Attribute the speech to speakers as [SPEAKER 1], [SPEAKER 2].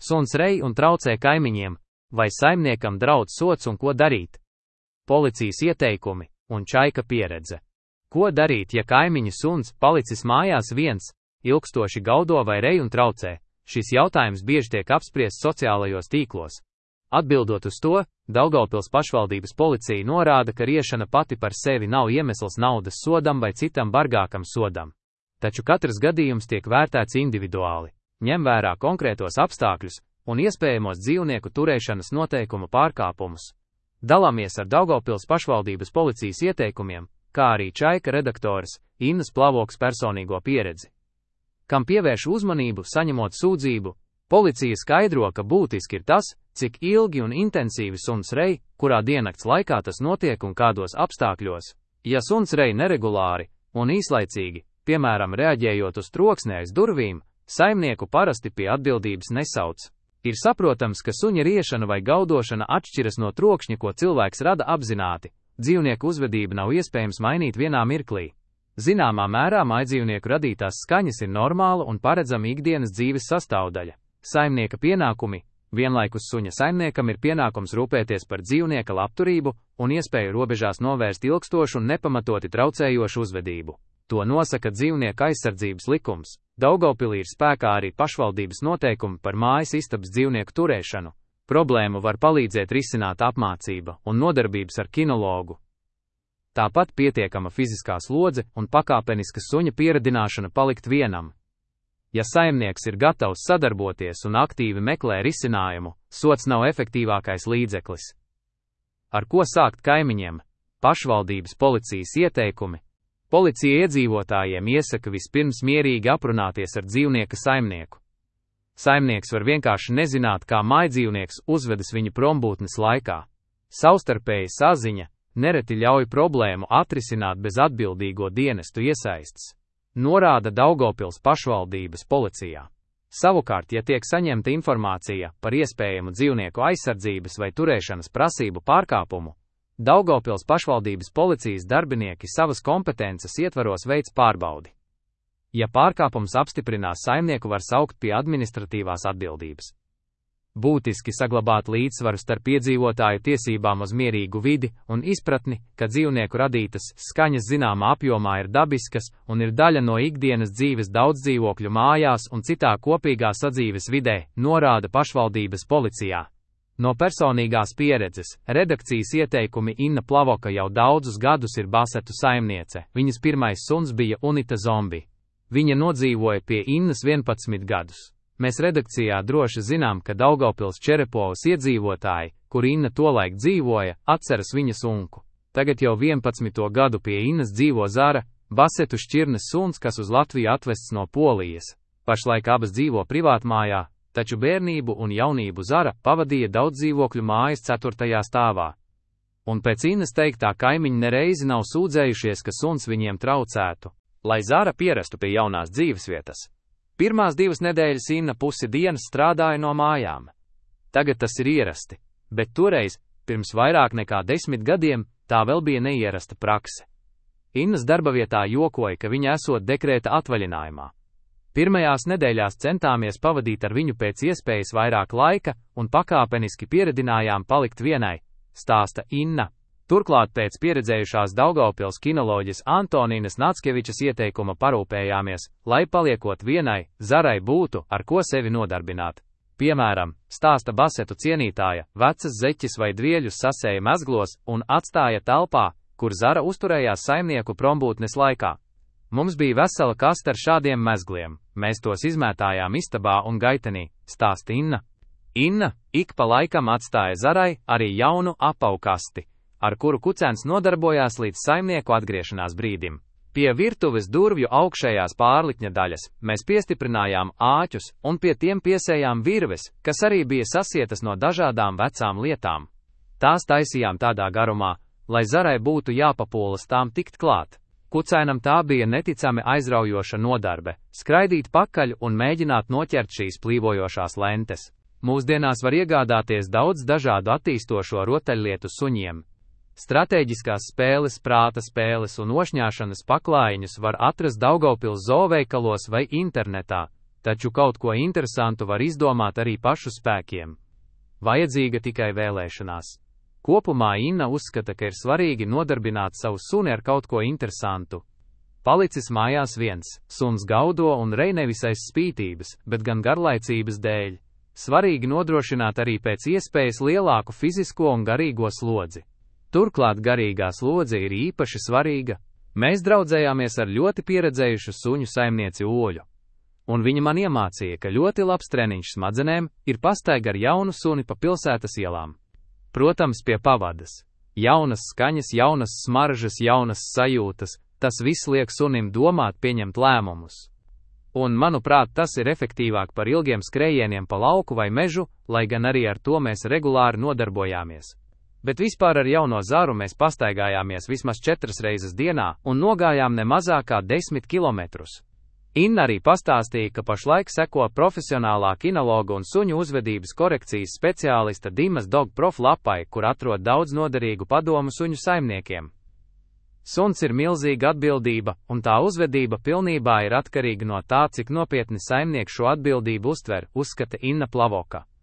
[SPEAKER 1] Suns rej un traucē kaimiņiem, vai saimniekam draud sods un ko darīt? Policijas ieteikumi un Čaika pieredze. Ko darīt, ja kaimiņa suns palicis mājās viens, ilgstoši gaudo vai rej un traucē? Šis jautājums bieži tiek apspriests sociālajos tīklos. Atbildot uz to, Daugavpils pašvaldības policija norāda, ka riešana pati par sevi nav iemesls naudas sodam vai citam bargākam sodam. Taču katrs gadījums tiek vērtēts individuāli, ņem vērā konkrētos apstākļus un iespējamos dzīvnieku turēšanas noteikumu pārkāpumus. Dalāmies ar Daugavpils pašvaldības policijas ieteikumiem, kā arī Čaika redaktoras Innas Plavokas personīgo pieredzi. Kam pievērš uzmanību saņemot sūdzību, policija skaidro, ka būtiski ir tas, cik ilgi un intensīvi suns rej, kurā diennakts laikā tas notiek un kādos apstākļos. Ja suns rej neregulāri un īslaicīgi, piemēram, reaģējot uz troksni aiz durvīm, saimnieku parasti pie atbildības nesauc. Ir saprotams, ka suņa riešana vai gaudošana atšķiras no trokšņa, ko cilvēks rada apzināti. Dzīvnieku uzvedību nav iespējams mainīt vienā mirklī. Zināmā mērā mājdzīvnieku radītās skaņas ir normāla un paredzama ikdienas dzīves sastāvdaļa. Saimnieka pienākumi. Vienlaikus suņa saimniekam ir pienākums rūpēties par dzīvnieka labturību un iespēju robežās novērst ilgstošu un nepamatoti traucējošu uzvedību. To nosaka dzīvnieku aizsardzības likums. Daugavpilī ir spēkā arī pašvaldības noteikumi par mājas istabas dzīvnieku turēšanu. Problēmu var palīdzēt risināt apmācība un nodarbības ar kinologu. Tāpat pietiekama fiziskā slodze un pakāpeniska suņa pieradināšana palikt vienam. Ja saimnieks ir gatavs sadarboties un aktīvi meklē risinājumu, sods nav efektīvākais līdzeklis. Ar ko sākt kaimiņiem? Pašvaldības policijas ieteikumi. Policija iedzīvotājiem iesaka vispirms mierīgi aprunāties ar dzīvnieka saimnieku. Saimnieks var vienkārši nezināt, kā mājdzīvnieks uzvedas viņa prombūtnes laikā. Savstarpēja saziņa nereti ļauj problēmu atrisināt bez atbildīgo dienestu iesaistes, norāda Daugavpils pašvaldības policijā. Savukārt, ja tiek saņemta informācija par iespējamu dzīvnieku aizsardzības vai turēšanas prasību pārkāpumu, Daugavpils pašvaldības policijas darbinieki savas kompetences ietvaros veic pārbaudi. Ja pārkāpums apstiprinās, saimnieku var saukt pie administratīvās atbildības. Būtiski saglabāt līdzsvaru starp iedzīvotāju tiesībām uz mierīgu vidi un izpratni, ka dzīvnieku radītas skaņas zināmā apjomā ir dabiskas un ir daļa no ikdienas dzīves daudzdzīvokļu mājās un citā kopīgā sadzīves vidē, norāda pašvaldības policijā. No personīgās pieredzes, redakcijas ieteikumi Inna Plavoka jau daudzus gadus ir Basetu saimniece, viņas pirmais suns bija Unita Zombi. Viņa nodzīvoja pie Innas 11 gadus. Mēs redakcijā droši zinām, ka Daugavpils Čerepovas iedzīvotāji, kur Inna tolaik dzīvoja, atceras viņas unku. Tagad jau 11. gadu pie Innas dzīvo Zara, Basetu šķirnes suns, kas uz Latviju atvests no Polijas. Pašlaik abas dzīvo privātmājā, taču bērnību un jaunību Zara pavadīja daudzdzīvokļu mājas 4. stāvā. Un pēc Innas teiktā, kaimiņi nereizi nav sūdzējušies, ka suns viņiem traucētu, lai Zara pierastu pie jaunās dzīvesvietas. Pirmās 2 nedēļas Inna pusi dienas strādāja no mājām. Tagad tas ir ierasti, bet toreiz, pirms vairāk nekā 10 gadiem, tā vēl bija neierasta prakse. Innas darbavietā jokoja, ka viņa esot dekrēta atvaļinājumā. Pirmajās nedēļās centāmies pavadīt ar viņu pēc iespējas vairāk laika un pakāpeniski pieredinājām palikt vienai, stāsta Inna. Turklāt pēc pieredzējušās Daugavpils kinoloģes Antonīnas Nackevičas ieteikuma parūpējāmies, lai paliekot vienai, Zarai būtu, ar ko sevi nodarbināt. Piemēram, stāsta Basetu cienītāja, vecas zeķis vai dvieļus sasēja mezglos un atstāja telpā, kur Zara uzturējās saimnieku prombūtnes laikā. Mums bija vesela kaste ar šādiem mezgliem, mēs tos izmētājām istabā un gaitenī, stāsta Inna. Inna ik pa laikam atstāja Zarai arī jaunu apaukasti, ar kuru kucēns nodarbojās līdz saimnieku atgriešanās brīdim. Pie virtuves durvju augšējās pārlikņa daļas mēs piestiprinājām āķus un pie tiem piesējām virves, kas arī bija sasietas no dažādām vecām lietām. Tās taisījām tādā garumā, lai Zarai būtu jāpapūlas tām tikt klāt. Kucēnam tā bija neticami aizraujoša nodarbe – skraidīt pakaļ un mēģināt noķert šīs plīvojošās lentes. Mūsdienās var iegādāties daudz dažādu attīstošo rotaļlietu suņiem. Stratēģiskās spēles, prāta spēles un ošņāšanas paklājiņus var atrast Daugavpils zooveikalos vai internetā. Taču kaut ko interesantu var izdomāt arī pašu spēkiem. Vajadzīga tikai vēlēšanās. Kopumā Inna uzskata, ka ir svarīgi nodarbināt savu suni ar kaut ko interesantu. Palicis mājās viens, suns gaudo un rej nevis aiz spītības, bet gan garlaicības dēļ. Svarīgi nodrošināt arī pēc iespējas lielāku fizisko un garīgo slodzi. Turklāt garīgā slodze ir īpaši svarīga. Mēs draudzējāmies ar ļoti pieredzējušu suņu saimnieci Oļu. Un viņa man iemācīja, ka ļoti labs treniņš smadzenēm ir pastaigā ar jaunu suni pa pilsētas ielām. Protams, pie pavadas. Jaunas skaņas, jaunas smaržas, jaunas sajūtas, tas viss liek sunim domāt, pieņemt lēmumus. Un, manuprāt, tas ir efektīvāk par ilgiem skrējieniem pa lauku vai mežu, lai gan arī ar to mēs regulāri nodarbojāmies. Bet vispār ar jauno Zaru mēs pastaigājāmies vismaz 4 reizes dienā un nogājām ne mazāk kā 10 kilometrus. Inna arī pastāstīja, ka pašlaik seko profesionālā kinologa un suņu uzvedības korekcijas speciālista Dimas Dog Prof lapai, kur atrod daudz noderīgu padomu suņu saimniekiem. Suns ir milzīga atbildība, un tā uzvedība pilnībā ir atkarīga no tā, cik nopietni saimnieks šo atbildību uztver, uzskata Inna Plavoka.